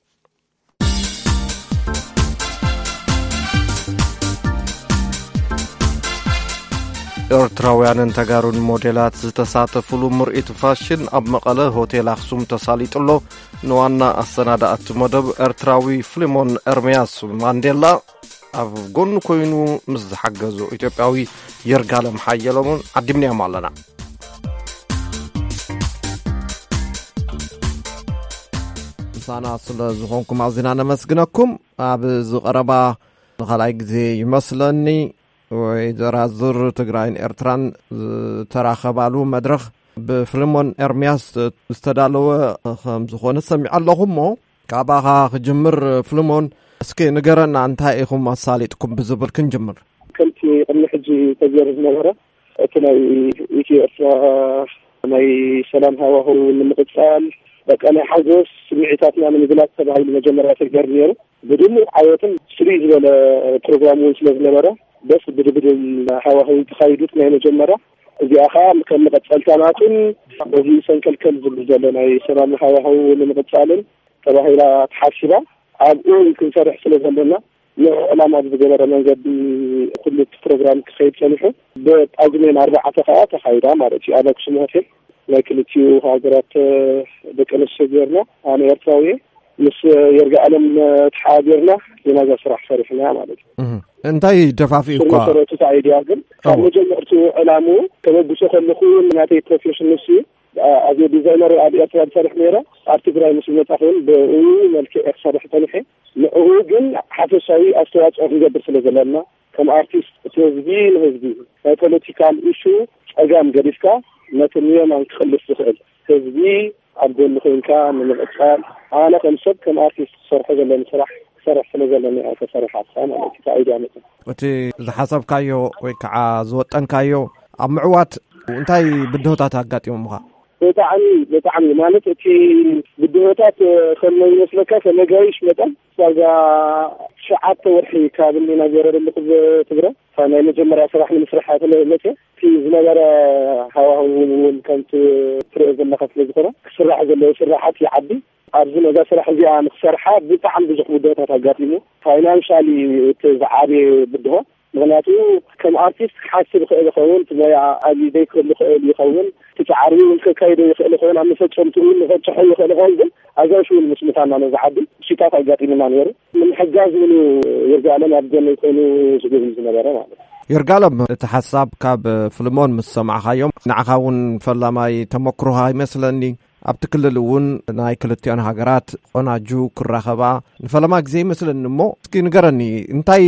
ኤርትራውያንን ተጋሩን ሞዴላት ዝተሳተፉሉ ምርኢት ፋሽን ኣብ መቐለ ሆቴል ኣኽሱም ተሳሊጡ ኣሎ። ንዋና ኣሰናዳእቲ መደብ ኤርትራዊ ፍሊሞን ኤርምያስ ማንዴላ ኣብ ጎኑ ኮይኑ ምስ ዝሓገዙ ኢትዮጵያዊ ይርጋለም ሓየሎምን ዓዲምናዮም ኣለና። ምሳና ስለ ዝኾንኩም ኣዚና ነመስግነኩም። ኣብ ዝቐረባ ንኻልኣይ ግዜ ይመስለኒ ወይዘራዝር ትግራይን ኤርትራን ዝተራኸባሉ መድረኽ ብፍልሞን ኤርምያስ ዝተዳለወ ከም ዝኾነ ሰሚዐ ኣለኹ። እሞ ካባኻ ክጅምር ፍልሞን፣ እስኪ ንገረና፣ እንታይ ኢኹም ኣሳሊጥኩም ብዝብል ክንጅምር። ከምቲ ቅድሚ ሕጂ ተገይሩ ዝነበረ፣ እቲ ናይ ኢትዮ ኤርትራ ናይ ሰላም ሃዋህው ንምቕጻል፣ በቃ ናይ ሓጎስ ስምዒታትና ንምግላጽ ተባሂሉ መጀመርያ ተገይሩ ነይሩ። ብድሙቕ ዓወትን ፍልይ ዝበለ ፕሮግራም እውን ስለ ዝነበረ፣ ደስ ብድብድል ሃዋህው ተኻይዱት ናይ መጀመርያ። እዚኣ ኸዓ ከም መቐጸልታ ናቱን በዚ ሰንከልከል ዝብል ዘሎ ናይ ሰላም ሃዋህው ንምቕጻልን ተባሂላ ተሓሲባ። ኣብኡ ክንሰርሕ ስለ ዘለና፣ ንዕላማ ብዝገበረ መንገዲ ኩሉ እቲ ፕሮግራም ክኸይድ ጸኒሑ። ብጳጉሜን ኣርባዕተ ኸዓ ተኻይዳ ማለት እዩ። ኣብ ኣክሱም ሆቴል ናይ ክልቲኡ ሃገራት ደቂ ኣንስትዮ ጌርና፣ ኣነ ኤርትራዊ እየ፣ ምስ የርጋኣለም ተሓባቢርና ኢና እዛ ስራሕ ሰሪሕና ማለት እዩ። እህ፣ እንታይ ደፋፊኡ ስር እኳ መሰረቱ እቲ ኣይድያ ግን ካብ እዎ። መጀመርቱ ዕላምኡ ከበግሶ ከለኹ ናተይ ፕሮፌሽን ንሱ እዩ። ኣ-፣ ኣብ ዲዛይነር ኣብ ኤርትራ ዝሰርሕ ነይረ፣ ኣብ ትግራይ ምስ ዝመጻኹ እውን ብኡ መልክዕ እየ ክሰርሕ ጸኒሐ። ንዕኡ ግን ሓፈሻዊ ኣስተዋጽኦ ክንገብር ስለ ዘለና፣ ከም ኣርቲስት እቲ ህዝቢ ንህዝቢ ናይ ፖለቲካል ኢሹ ጸጋም ገዲፍካ ነቲ ንየማን ክቕልስ ዝኽእል ህዝቢ ኣብ ጎኒ ኮይንካ ንምቕጻል፣ ኣነ ከም ሰብ ከም ኣርቲስት ክሰርሖ ዘለኒ ስራሕ ክሰርሕ ስለ ዘለኒ እያ ተሰሪሓታ ማለት እዩ። እቲ ኣይድያ መጽእ። እቲ ዝሓሰብካዮ ወይ ከዓ ዝወጠንካዮ ኣብ ምዕዋት እንታይ ብድሆታት ኣጋጢሞምኻ? ብጣዕሚ፣ ብጣዕሚ ማለት እቲ ብድሆታት ከም ይመስለካ ከም ነጋይሽ መጠን ዋጋ ትሽዓተ ወርሒ ካብ እኒና ገይረ ዘለኹ ትግረ ናይ መጀመርያ ስራሕ ንምስራሕ እያ ተለ-፣ መፅእ። እቲ ዝነበረ ሃዋህው እውን ከምቲ ትሪኦ ዘለኻ ስለ ዝኾነ ክስራሕ ዘለዎ ስራሓት ይዓቢ። ኣብዚ ነዛ ስራሕ እዚኣ ንክሰርሓ ብጣዕሚ ብዙሕ ውዳታት ኣጋጢሙ። ፋይናንሻሊ እቲ ዝዓበየ ብድሆ፣ ምኽንያቱ ከም ኣርቲስት ክሓስብ ይኽእል ይኸውን፣ እቲ ሞያ ኣብዩ ዘይክህሉ ይኽእል ይኸውን፣ እቲ ጻዕሪ እውን ከካይዶ ይኽእል ይኸውን፣ ኣብ መፈጸምትኡ እውን ንኸብጽሖ ይኽእል ይኸውን። ግን ኣጋይሽ እውን ምስ ምዃንና ነዚ ዓዲ ብሽታት ኣጋጢሙና ነይሩ። ንምሕጋዝ እውን ይርጋለም ኣብ ጎነይ ኮይኑ ዝጉብኒ ዝነበረ ማለት እዩ። ይርጋለም፣ እቲ ሓሳብ ካብ ፍልሞን ምስ ሰማዕኻዮም፣ ንዓኻ እውን ፈላማይ ተመክሮኻ ይመስለኒ። ኣብቲ ክልል እውን ናይ ክልቲኦን ሃገራት ቆናጁ ክራኸባ ንፈለማ ግዜ ይመስለኒ። እሞ እስኪ ንገረኒ፣ እንታይ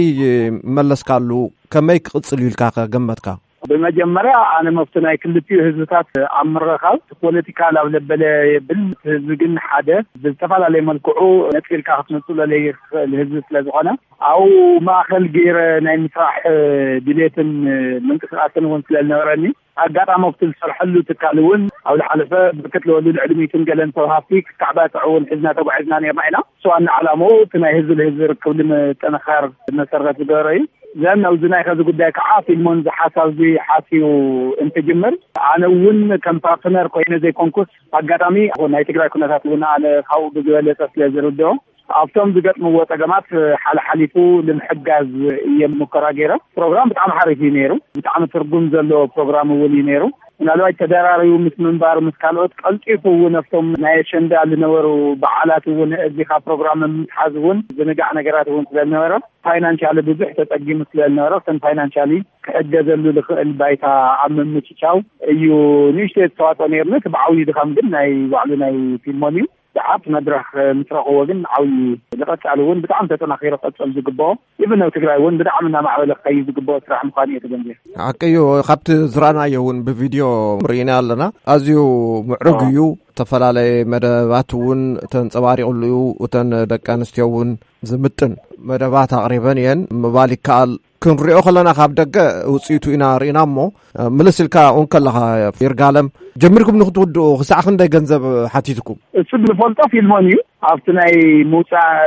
መለስካሉ? ከመይ ክቕጽል እዩ ኢልካ ከ ገመትካ? ብመጀመርያ ኣነ መፍቲ ናይ ክልቲኡ ህዝብታት ኣብ ምርኻብ ፖለቲካ ላብ ለበለ የብል። ህዝቢ ግን ሓደ ብዝተፈላለየ መልክዑ ነጺልካ ክትነጽሎ ለይኽእል ህዝቢ ስለ ዝኾነ፣ ኣብኡ ማእከል ገይረ ናይ ምስራሕ ድሌትን ምንቅስቃስን እውን ስለ ዝነበረኒ፣ ኣጋጣሚ ኣብቲ ዝሰርሐሉ ትካል እውን ኣብ ዝሓለፈ ብርክት ዝበሉ ልዕሊ ሚእትን ገለን ሰብ ሃፍቲ ክተዓባጥዑ እውን ሒዝና ተጓዒዝና ነርና ኢና። እሱ ዋና ዓላምኡ እቲ ናይ ህዝቢ ንህዝቢ ርክብ ንምጥንኻር መሰረት ዝገበረ እዩ። ዘን ኣብዚ ናይ ከዚ ጉዳይ ከዓ ፊልሞን እዚ ሓሳብ እዚ ሓስዩ እንትጅምር፣ ኣነ እውን ከም ፓርትነር ኮይነ ዘይኮንኩስ፣ ኣጋጣሚ ናይ ትግራይ ኩነታት እውን ኣነ ካብኡ ብዝበለፀ ስለ ዝርድኦ፣ ኣብቶም ዝገጥምዎ ጸገማት ሓለሓሊፉ ንምሕጋዝ እየ ሙከራ ገይረ። ፕሮግራም ብጣዕሚ ሓሪፍ እዩ ነይሩ። ብጣዕሚ ትርጉም ዘለዎ ፕሮግራም እውን እዩ ነይሩ። ምናልባት ተደራሪቡ ምስ ምንባሩ ምስ ካልኦት ቀልጢፉ እውን ኣብቶም ናይ ኣሸንዳ ዝነበሩ በዓላት እውን እዚኻ ፕሮግራም ምትሓዝ እውን ዝንጋዕ ነገራት እውን ስለ ዝነበረ፣ ፋይናንሻሊ ብዙሕ ተጸጊሙ ስለ ዝነበረ፣ ከም ፋይናንሻሊ ክሕገዘሉ ዝኽእል ባይታ ኣብ ምምችቻው እዩ ንእሽተይ ዝተዋጽኦ ነይርና። እቲ ብዓብዩ ድኻም ግን ናይ ባዕሉ ናይ ፊልሞን እዩ። ሰዓት መድረኽ ምስ ረኽቦ ግን ዓብዪ ዝቐጻሊ እውን ብጣዕሚ ተጠናኺሩ ክቐጽል ዝግብኦ፣ ኢቭን ኣብ ትግራይ እውን ብጣዕሚ እናማዕበለ ክኸይድ ዝግብኦ ስራሕ ምዃኑ እየ ተገንዚበ። ሓቂ እዩ። ካብቲ ዝረኣናዮ እውን ብቪድዮ ርኢና ኣለና። ኣዝዩ ምዕሩግ እዩ። ዝተፈላለየ መደባት እውን ተንጸባሪቑሉ እዩ። እተን ደቂ ኣንስትዮ እውን ዝምጥን መደባት ኣቕሪበን እየን ምባል ይከኣል። ክንሪኦ ከለና ካብ ደገ ውፅኢቱ ኢና ርኢና እሞ፣ ምልስ ኢልካ እውን ከለኻ ይርጋለም፣ ጀሚርኩም ንክትውድኡ ክሳዕ ክንደይ ገንዘብ ሓቲትኩም? እሱ ዝፈልጦ ፊልሞን እዩ። ኣብቲ ናይ ምውፃእ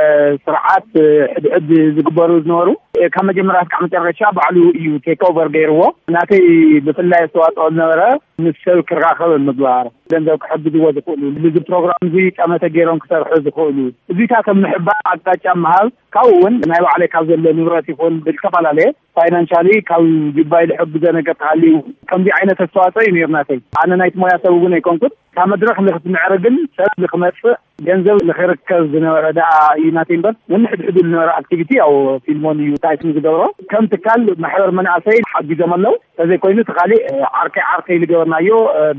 ስርዓት ሕድሕድ ዝግበሩ ዝነበሩ ካብ መጀመርያ ክሳዕ መጨረሻ ባዕሉ እዩ ቴክ ኦቨር ገይርዎ። ናተይ ብፍላይ ኣስተዋፅኦ ዝነበረ ምስ ሰብ ክራኸብ ምግባር፣ ገንዘብ ክሕግዝዎ ዝኽእሉ፣ እዚ ፕሮግራም እዚ ጠመተ ገይሮም ክሰርሑ ዝኽእሉ፣ እዚታት ኣብ ምሕባር ኣቅጣጫ ምሃብ፣ ካብኡ እውን ናይ ባዕለይ ካብ ዘሎ ንብረት ይኹን ብዝተፈላለየ ፋይናንሻሊ ካብ ጅባይ ዝሕግዞ ነገር ተሃልዩ፣ ከምዚ ዓይነት ኣስተዋፅኦ እዩ ነይሩ ናተይ። ኣነ ናይቲ ሞያ ሰብ እውን ኣይኮንኩን። እታ መድረኽ ንክትምዕርግን ሰብ ንክመፅእ ገንዘብ ንክርከብ ዝነበረ ደኣ እዩ ናተይ እምበር፣ ነንሕድሕዱ ዝነበረ ኣክቲቪቲ ያው ፊልሞን እዩ ታይትን ዝገብሮ። ከም ትካል ማሕበር መናእሰይ ሓጊዞም ኣለዉ። ተዘይኮይኑ እቲ ካሊእ ዓርከይ ዓርከይ ዝገበርናዮ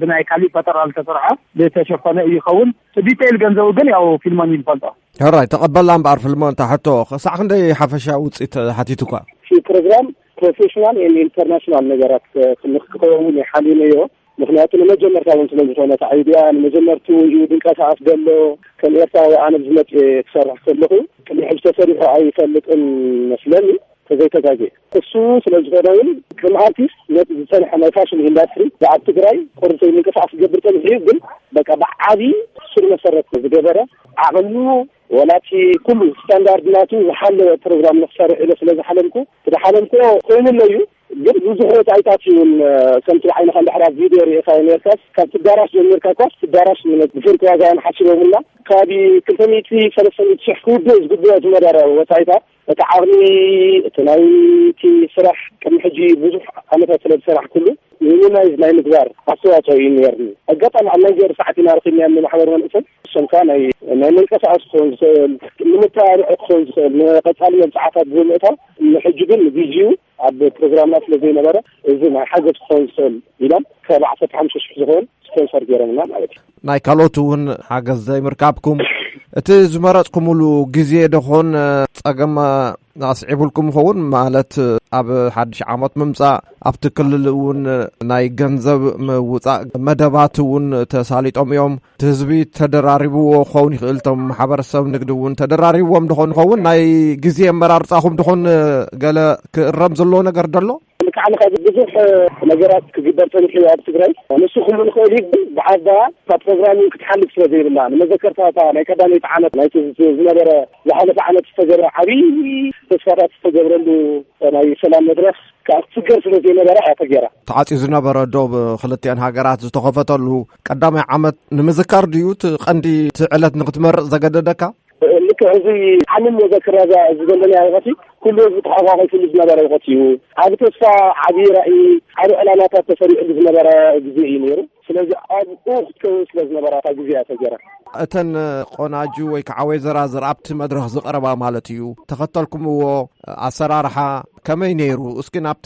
ብናይ ካሊእ ፈጠራ ስርዓ ዝተሸፈነ እዩ ይኸውን። ዲቴይል ገንዘቡ ግን ያው ፊልሞን ይፈልጦ። ሕራይ ተቐበላ እምበኣር፣ ፊልሞን፣ ታሕቶ ክሳዕ ክንደይ ሓፈሻ ውፅኢት ሓቲቱካ? እቲ ፕሮግራም ፕሮፌሽናል ኢንተርናሽናል ነገራት ክንክኸውን ይሓልዩነዮ። ምክንያቱ ንመጀመርታ እውን ስለ ዝኾነ እቲ ኣይድያ ንመጀመርቱ እዩ ድንቀሳቐስ ዘሎ። ከም ኤርትራዊ ኣነ ዝመፅ ክሰርሕ ከለኹ ቅድሚ ሕጂ ተሰሪሑ ኣይፈልጥን መስለኒ፣ ተዘይተጋጌ። እሱ ስለ ዝኾነ እውን ከም ኣርቲስት ነቲ ዝፀንሐ ናይ ፋሽን ኢንዳስትሪ ኣብ ትግራይ ቁርተይ ምንቅስቃስ ዝገብር ፀኒሑ እዩ። ግን በቃ ብዓቢ ስር መሰረት ዝገበረ ዓቕሙ ወላቲ ኩሉ ስታንዳርድ ናቱ ዝሓለወ ፕሮግራም ንክሰርሕ ኢለ ስለ ዝሓለምኩ፣ ዝሓለምኩ ኮይኑለዩ። ግን ብዙሕ ወፃኢታት እውን ከምቲ ዓይንኻ እንድሕር ኣብ ቪድዮ ርኢኻዮ ነርካስ ካብ ትዳራሽ ጀሚርካ እኳ ትዳራሽ ብፍርቂ ዋጋ እዮም ሓሲቦምና። ካብ ክልተ ሚእቲ ሰለስተ ሚእቲ ሽሕ ክውድእ ዝግብኦ ዝነበረ ወፃኢታት እቲ ዓቕሚ እቲ ናይቲ ስራሕ ቅድሚ ሕጂ ብዙሕ ዓመታት ስለ ዝሰራሕ ኩሉ ሚኒማይዝ ናይ ምግባር ኣስተዋፅኦ እዩ ነርኒ። ኣጋጣሚ ኣብ ናይ ገር ሰዓት ኢና ረኪብናያ ማሕበር መንእሰይ እሶም ከዓ ናይ ናይ መንቀሳቐሲ ክኸውን ዝኽእል ንምተባብዒ ክኸውን ዝኽእል ንቐፃሊ መብፅዓታት ብምእታው ንሕጂ ግን ንግዜኡ ኣብ ፕሮግራምና ስለ ዘይነበረ እዚ ናይ ሓገዝ ክኸውን ዝኽእል ኢሎም ካብ ዓሰርተ ሓሙሽተ ሽሕ ዝኸውን ስፖንሰር ገይሮምና ማለት እዩ። ናይ ካልኦት እውን ሓገዝ ዘይምርካብኩም እቲ ዝመረፅኩምሉ ግዜ ደኾን ፀገም ኣስዒቡልኩም ይኸውን? ማለት ኣብ ሓድሽ ዓመት ምምፃእ ኣብቲ ክልል እውን ናይ ገንዘብ ምውፃእ መደባት እውን ተሳሊጦም እዮም። እቲ ህዝቢ ተደራሪብዎ ክኸውን ይኽእል፣ እቶም ማሕበረሰብ ንግዲ እውን ተደራሪብዎም ደኾን ይኸውን? ናይ ግዜ ኣመራርፃኹም ደኾን ገለ ክእረም ዘለዎ ነገር ደሎ? ልክዕ ንኻ ብዙሕ ነገራት ክግበር ፀኒሑ ኣብ ትግራይ ንሱ ክሉ ንኽእል እዩ። ግን ብዓባ እታ ፕሮግራሚንግ ክትሓልፍ ስለ ዘይብላ ንመዘከርታ እታ ናይ ቀዳመይቲ ዓመት ናይቲ ዝነበረ ዝሓለፈ ዓመት ዝተገብረ ዓብዪ ተስፋታት ዝተገብረሉ ናይ ሰላም መድረኽ ከዓ ክትስገር ስለ ዘይነበረ እያ ተገይራ። ተዓፅዩ ዝነበረ ዶብ ክልቲአን ሃገራት ዝተኸፈተሉ ቀዳማይ ዓመት ንምዝካር ድዩ እቲ ቀንዲ እቲ ዕለት ንክትመርፅ ዘገደደካ? ልክዕ እዚ ዓለም መዘክር እዚ ዘለና ወቐቲ ኩሉ ህዝቢ ተሓቋቒፍሉ ዝነበረ ወቐቲ እዩ። ዓብ ተስፋ፣ ዓብ ራእይ፣ ዓብ ዕላማታት ተሰሪዕሉ ዝነበረ ግዜ እዩ ነይሩ። ስለዚ ኣብኡ ክትከውን ስለ ዝነበራ እታ ግዜ እያ ተገይራ። እተን ቆናጁ ወይ ከዓ ወይዘራዝር ኣብቲ መድረኽ ዝቐረባ ማለት እዩ፣ ተኸተልኩምዎ ኣሰራርሓ ከመይ ነይሩ? እስኪ ናብቲ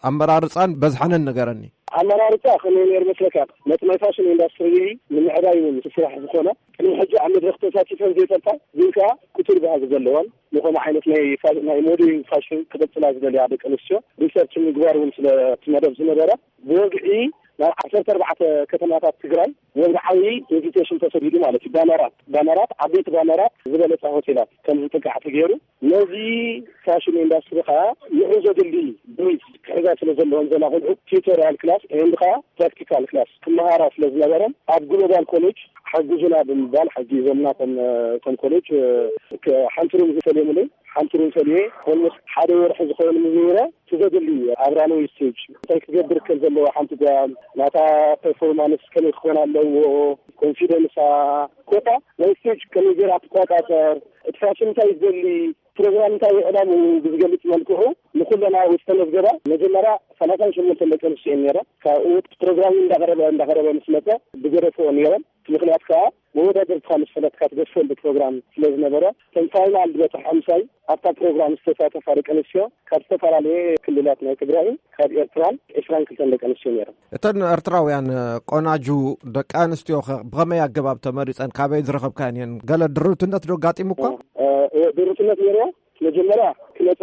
ኣመራርፃን በዝሓንን ንገረኒ። ኣመራርፃ ከመይ ነይሩ መስለካ? ነቲ ናይ ፋሽን ኢንዳስትሪ ንምዕባይ እውን ስራሕ ዝኾነ ቅድሚ ሕጂ ኣብ መድረኽ ተሳቲፈን ዘይፈልጣ ግን ከዓ ክቱር ባህጊ ዘለወን ንኸምኡ ዓይነት ናይ ፋ- ናይ ሞዴሊንግ ፋሽን ክቕፅላ ዝደልያ ደቂ ኣንስትዮ ሪሰርች ምግባር እውን ስለ እቲ መደብ ዝነበረ ብወግዒ ናብ ዓሰርተ ኣርባዕተ ከተማታት ትግራይ ወግዓዊ ኢንቪቴሽን ተሰዲዱ ማለት እዩ። ባነራት ባነራት ዓበይቲ ባነራት ዝበለፃ ሆቴላት ከም ዝጥቃዕ ተገይሩ ነዚ ፋሽን ኢንዳስትሪ ከዓ ንዑ ዘድሊ ብሪፍ ክሕዛ ስለ ዘለዎም ዘላ ቆልዑ ቲዩቶሪያል ክላስ ኤንድ ከዓ ፕራክቲካል ክላስ ክመሃራ ስለ ዝነበረን ኣብ ግሎባል ኮሌጅ ሓግዙና ብምባል ሓጊዞምና። ከም ከም ኮሌጅ ሓንቲ ሩም ዝፈልዮም ለ ሓንቲ ሩም ፈልየ ኦልሞስት ሓደ ወርሒ ዝኸውን ምዝምረ ትዘድሊ ኣብራነዊ ስቴጅ እንታይ ክገብር ከም ዘለዎ ሓንቲ ጓል ናታ ፐርፎርማንስ ከመይ ክኾን ኣለዎ ኮንፊደንሳ ኮታ ናይ ስቴጅ ከመይ ገይራ ትቆጣጠር እቲ ፋሽን እንታይ ዝደሊ ፕሮግራም እንታይ ዕላምኡ ብዝገልፅ መልክዑ ንኩለና ዝተመዝገባ መጀመርያ ሰላሳን ሸሞንተን ደቂ ኣንስትዮ እየን ነይረን። ካብኡ ፕሮግራም እንዳቀረበ እንዳቀረበ ምስ መፀ ብገደፍኦ ነይረን። እቲ ምክንያት ከዓ መወዳደርትካ ምስ ፈለጥካ ትገድፈሉ ፕሮግራም ስለ ዝነበረ እተን ፋይናል ዝበፅሓ ምሳይ ኣብታ ፕሮግራም ዝተሳተፋ ደቂ ኣንስትዮ ካብ ዝተፈላለየ ክልላት ናይ ትግራይን ካብ ኤርትራን ዕስራን ክልተን ደቂ ኣንስትዮ ነይረን። እተን ኤርትራውያን ቆናጁ ደቂ ኣንስትዮ ኸ ብኸመይ ኣገባብ ተመሪፀን? ካበይ ዝረኸብካየን እየን? ገለ ድርብትነት ዶ ኣጋጢሙካ? ድርብትነት ነይርዎ። መጀመርያ ክመፃ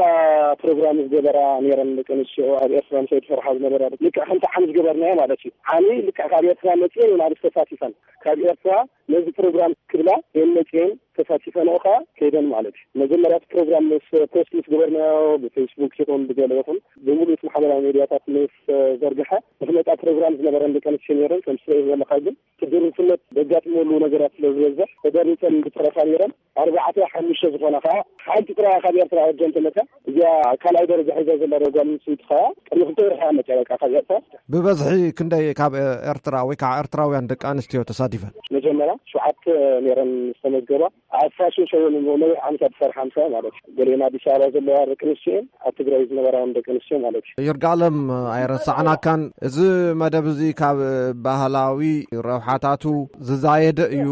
ፕሮግራም ዝገበራ ነይረን ደቂ ኣንስትዮ ኣብ ኤርትራ ምሳይ ዝሰርሓ ዝነበራ ልክዕ ከምቲ ዓሚ ዝገበርናዮ ማለት እዩ። ዓሚ ልክዕ ካብ ኤርትራ መፅኤን ናብዚ ተሳቲፈን ካብ ኤርትራ ነዚ ፕሮግራም ክብላ የን መፅኤን ተሳቲፈንኦ ከዓ ከይደን ማለት እዩ። መጀመርያ እቲ ፕሮግራም ምስ ፖስት ምስ ገበርናዮ ብፌስቡክ ይኹን ብገለ ይኹን ብምሉእ እቲ ማሕበራዊ ሚዲያታት ምስ ዘርግሐ ንክመፃ ፕሮግራም ዝነበረን ደቂ ኣንስትዮ ነይረን ከም ስለ ዘለካ ግን ትድርትነት ዘጋጥመሉ ነገራት ስለ ዝበዝሕ ተደሪፀን ዝጠረፋ ነይረን ኣርባዕተ ሓሙሽተ ዝኾነ ከዓ ሓንቲ ጥራያ ካብ ኤርትራ ወጀን ተመታ እዚኣ ካልኣይ ደረጃ ሒዛ ዘላ ጓል ኣንስተይቲ ከዓ ቅድሚ ክልተ ወርሒ እያ መፅያ በቃ ካብ ኤርትራ። ብበዝሒ ክንደይ ካብ ኤርትራ ወይ ከዓ ኤርትራውያን ደቂ ኣንስትዮ ተሳቲፈን? መጀመርያ ሸውዓተ ነይረን ዝተመዝገባ ኣብ ፋሽን ሸው ነዊሕ ዓመታት ዝሰርሓ ምሳይ ማለት እዩ። ገሊአን ኣዲስ ኣበባ ዘለዋ ደቂ ኣንስትዮ እየን፣ ኣብ ትግራይ ዝነበራ እውን ደቂ ኣንስትዮ ማለት እዩ። ይርጋለም ኣይረሳዕናካን። እዚ መደብ እዚ ካብ ባህላዊ ረብሓታቱ ዝዛየደ እዩ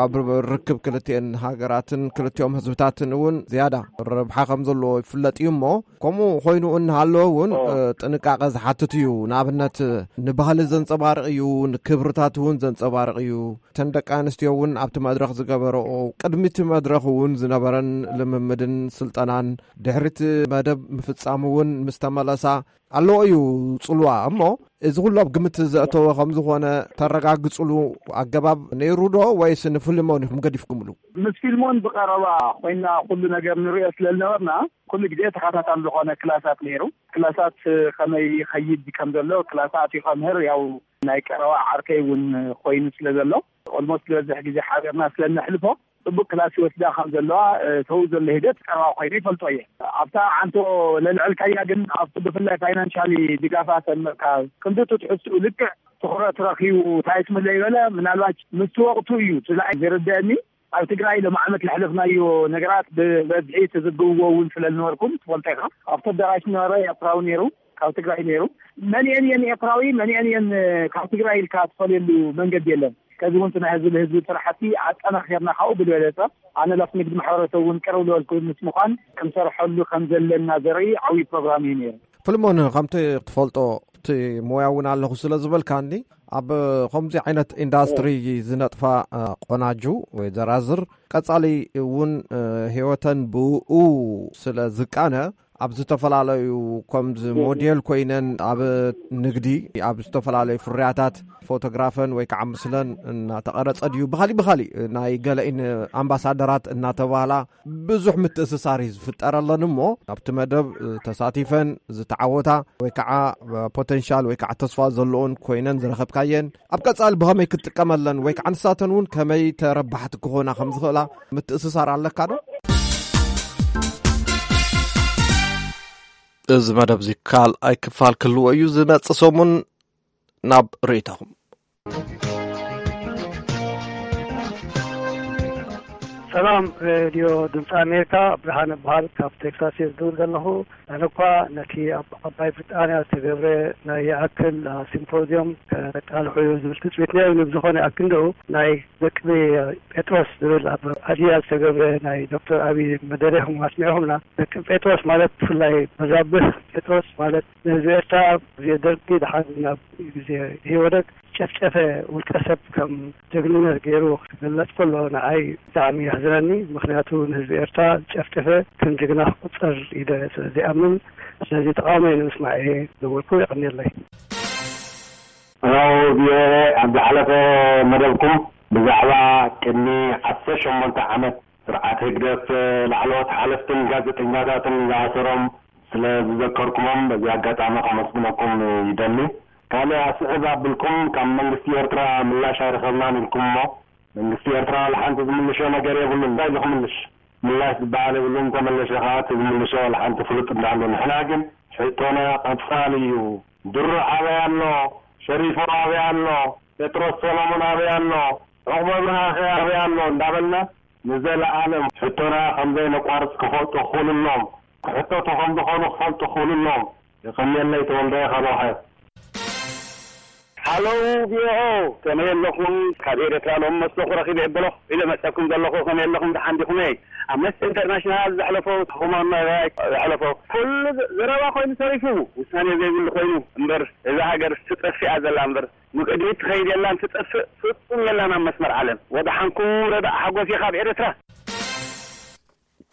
ኣብ ርክብ ክልቲኤን ሃገራትን ክልቲኦም ህዝብታትን እውን ዝያዳ ረብሓ ከም ዘለዎ ይፍለጥ እዩ እሞ ከምኡ ኮይኑ እናሃለወ እውን ጥንቃቐ ዝሓትት እዩ። ንኣብነት፣ ንባህሊ ዘንጸባርቕ እዩ፣ ንክብርታት እውን ዘንጸባርቕ እዩ። እተን ደቂ ኣንስትዮ እውን ኣብቲ መድረኽ ዝገበረኦ፣ ቅድሚ እቲ መድረኽ እውን ዝነበረን ልምምድን ስልጠናን፣ ድሕሪ እቲ መደብ ምፍጻሙ እውን ምስ ተመለሳ ኣለዎ እዩ ጽልዋ። እሞ እዚ ኩሉ ኣብ ግምት ዘእተወ ከም ዝኾነ ተረጋግጽሉ ኣገባብ ነይሩ ዶ፣ ወይስ ንፊልሞን ኢኹም ገዲፍኩምሉ? ምስ ፊልሞን ብቐረባ ኮይና ኩሉ ነገር ንሪኦ ስለ ዝነበርና፣ ኩሉ ግዜ ተኸታታሊ ዝኾነ ክላሳት ነይሩ። ክላሳት ከመይ ይኸይድ ከም ዘሎ፣ ክላሳት ይኸምህር፣ ያው ናይ ቀረባ ዓርከይ እውን ኮይኑ ስለ ዘሎ፣ ኦልሞስት ዝበዝሕ ግዜ ሓቢርና ስለ እነሕልፎ፣ ጽቡቅ ክላስ ይወስዳ ከም ዘለዋ፣ ተው ዘሎ ሂደት ቀረባ ኮይኑ ይፈልጦ እየ። ኣብታ ዓንቶ ለልዕልካያ ግን፣ ኣብቲ ብፍላይ ፋይናንሻሊ ድጋፋ ሰምርካ ክንድቱ ትሕዝትኡ ልክዕ ትኹረት ረኺቡ እንታይ ስምለ ይበለ፣ ምናልባት ምስቲ ወቕቱ እዩ እቲ ዝርደአኒ። ኣብ ትግራይ ሎም ዓመት ለሕለፍናዮ ነገራት ብበዝሒ ትዝግብዎ እውን ስለ ዝነበርኩም ትፈልጦ ኢኻ። ኣብቲ ኣዳራሽ ዝነበረ ኤርትራዊ ነይሩ፣ ካብ ትግራይ ነይሩ። መን እየን እየን ኤርትራዊ፣ መን እየን እየን ካብ ትግራይ ኢልካ ትፈልየሉ መንገዲ የለን። ከዚ እውን ናይ ህዝቢ ህዝቢ ስራሕቲ ኣጠናኺርና ካብኡ ብዝበለፀ ኣነ ላፍ ንግድ ማሕበረሰብ እውን ቅርብ ዝበልኩ ምስ ምዃን ክንሰርሐሉ ከም ዘለና ዘርኢ ዓብዪ ፕሮግራም እዩ ነይሩ። ፍልሞን፣ ከምቲ ትፈልጦ እቲ ሞያ እውን ኣለኹ ስለ ዝበልካኒ፣ ኣብ ከምዚ ዓይነት ኢንዳስትሪ ዝነጥፋ ቆናጁ ወይ ዘራዝር ቀጻሊ እውን ህይወተን ብኡ ስለ ዝቃነ፣ ኣብ ዝተፈላለዩ ከምዚ ሞዴል ኮይነን ኣብ ንግዲ፣ ኣብ ዝተፈላለዩ ፍርያታት ፎቶግራፈን ወይ ከዓ ምስለን እናተቐረጸ ድዩ ብኻሊእ ብኻሊእ ናይ ገለኢን ኣምባሳደራት እናተባህላ ብዙሕ ምትእስሳር እዩ ዝፍጠረለን እሞ፣ ኣብቲ መደብ ተሳቲፈን ዝተዓወታ ወይ ከዓ ፖተንሻል ወይ ከዓ ተስፋ ዘለዎን ኮይነን ዝረኸብካየን፣ ኣብ ቀጻሊ ብኸመይ ክትጥቀመለን ወይ ከዓ ንሳተን እውን ከመይ ተረባሕቲ ክኾና ከም ዝኽእላ ምትእስሳር ኣለካ ዶ? እዚ መደብ እዚ ካልኣይ ክፋል ክህልዎ እዩ ዝመጽእ ሰሙን። ናብ ርእይቶኹም። ሰላም ሬድዮ ድምፂ ኣሜሪካ፣ ብርሃን እበሃል፣ ካብ ቴክሳስ እየ ዝድውል ዘለኹ። ኣነ እኳ ነቲ ኣብ ዓባይ ብሪጣንያ ዝተገብረ ናይ ይኣክል ሲምፖዚየም ከቃልሑ ዝብል ትፅቢት ነይሩ። ብዝኾነ ይኣክል እንደው ናይ ደቂ ጴጥሮስ ዝብል ኣብ ኣድያ ዝተገብረ ናይ ዶክተር ኣብይ መደረ ኢኹም ኣስሚዕኹምና። ደቂ ጴጥሮስ ማለት ብፍላይ በዛብህ ጴጥሮስ ማለት ንህዝቢ ኤርትራ ግዜ ደርጊ ደሓን ናብ ግዜ ኢህወደግ ጨፍጨፈ ውልቀ ሰብ ከም ጀግንነት ገይሩ ክግለጽ ከሎ ንዓይ ብጣዕሚ የሕዝነኒ። ምኽንያቱ ንህዝቢ ኤርትራ ዝጨፍጨፈ ከም ጀግና ክቁጸር ኢለ ስለ ዘይኣምን፣ ስለዚ ተቃውሞይ ንምስማዕ እየ ደወልኩ። የቐንየለይ። ሄሎ ቪኦኤ፣ ኣብ ዝሓለፈ መደብኩም ብዛዕባ ቅድሚ ዓሰርተ ሸሞንተ ዓመት ስርዓት ህግደፍ ላዕለዎት ሓለፍትን ጋዜጠኛታትን ዝኣሰሮም ስለ ዝዘከርኩሞም በዚ ኣጋጣሚ ከመስግነኩም ይደሊ። ካልእ ኣስዕብ ኣብልኩም ካብ መንግስቲ ኤርትራ ምላሽ ኣይረኸብናን ኢልኩም እሞ መንግስቲ ኤርትራ ዋላ ሓንቲ ዝምልሾ ነገር የብሉን። እንታይ ዝኽምልሽ ምላሽ ዝበሃል የብሉን። ተመለሸ ከዓ እቲ ዝምልሾ ዋላ ሓንቲ ፍሉጥ እንዳሃሉ። ንሕና ግን ሕቶና ቀጻሊ እዩ። ድሮ ኣበይ ኣሎ? ሸሪፎ ኣበይ ኣሎ? ጴጥሮስ ሰሎሞን ኣበይ ኣሎ? ዑቕበ ብርሃኸ ኣበይ ኣሎ? እንዳበልና ንዘለኣለም ሕቶና ከም ዘይነቋርጽ ክፈልጡ ክኽእሉ ኣለዎም። ክሕተቱ ከም ዝኾኑ ክፈልጡ ክኽእሉ ኣለዎም። የቐንየለይ። ተወልደ ካብ ኣውሓ። ሃሎ ቪኦኤ፣ ከመይ ኣለኹም? ካብ ኤርትራ ሎም መስለኹ ረኺበ የበለኹ ኢለ መጸኩም ዘለኹ። ከመይ ኣለኹም? ደሓን ዲኹም? ኣምነስቲ ኢንተርናሽናል ዘሕለፎ፣ ሁማን ራይትስ ዘሕለፎ፣ ኩሉ ዘረባ ኮይኑ ተሪፉ፣ ውሳኔ ዘይብሉ ኮይኑ እምበር፣ እዛ ሃገር ትጠፍእ እያ ዘላ እምበር፣ ንቕድሚት ትኸይድ የላን፣ ትጠፍእ ፍጹም የላን ኣብ መስመር ዓለም። ወደሓንኩም። ረዳእ ሓጎስ እየ ካብ ኤርትራ።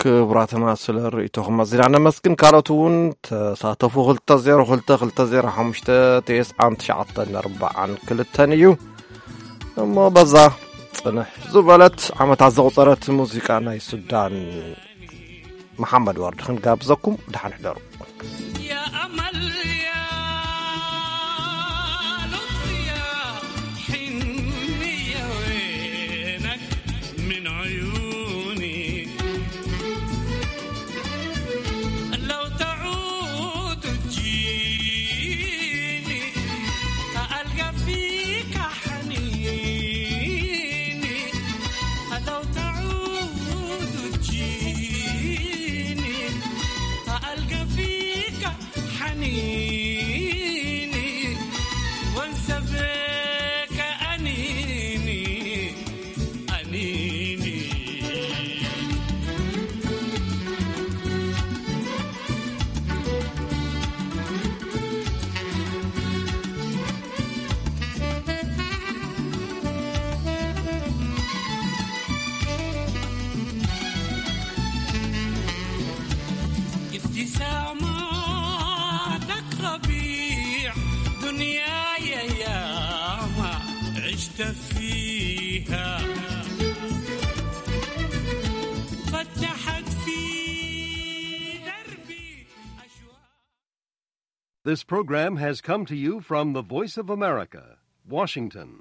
ክቡራትና፣ ስለ ርእይቶኹም ኣዚና ነመስግን። ካልኦት እውን ተሳተፉ። ክልተ ዜሮ ክልተ ክልተ ዜሮ ሓሙሽተ ተስዓን ትሽዓተን ኣርባዓን ክልተን እዩ። እሞ በዛ ጽንሕ ዝበለት ዓመታት ዘቑጸረት ሙዚቃ ናይ ሱዳን መሓመድ ወርዲ ክንጋብዘኩም። ደሓን ሕደሩ። يا أمل، يا لطف، يا حنية، وينك من عيوني؟ لو تعود تجيني، ألقى فيك حنيني. لو تعود تجيني، ألقى فيك حنيني، وانسى بك أنيني، أنيني. This program has come to you from the Voice of America, Washington.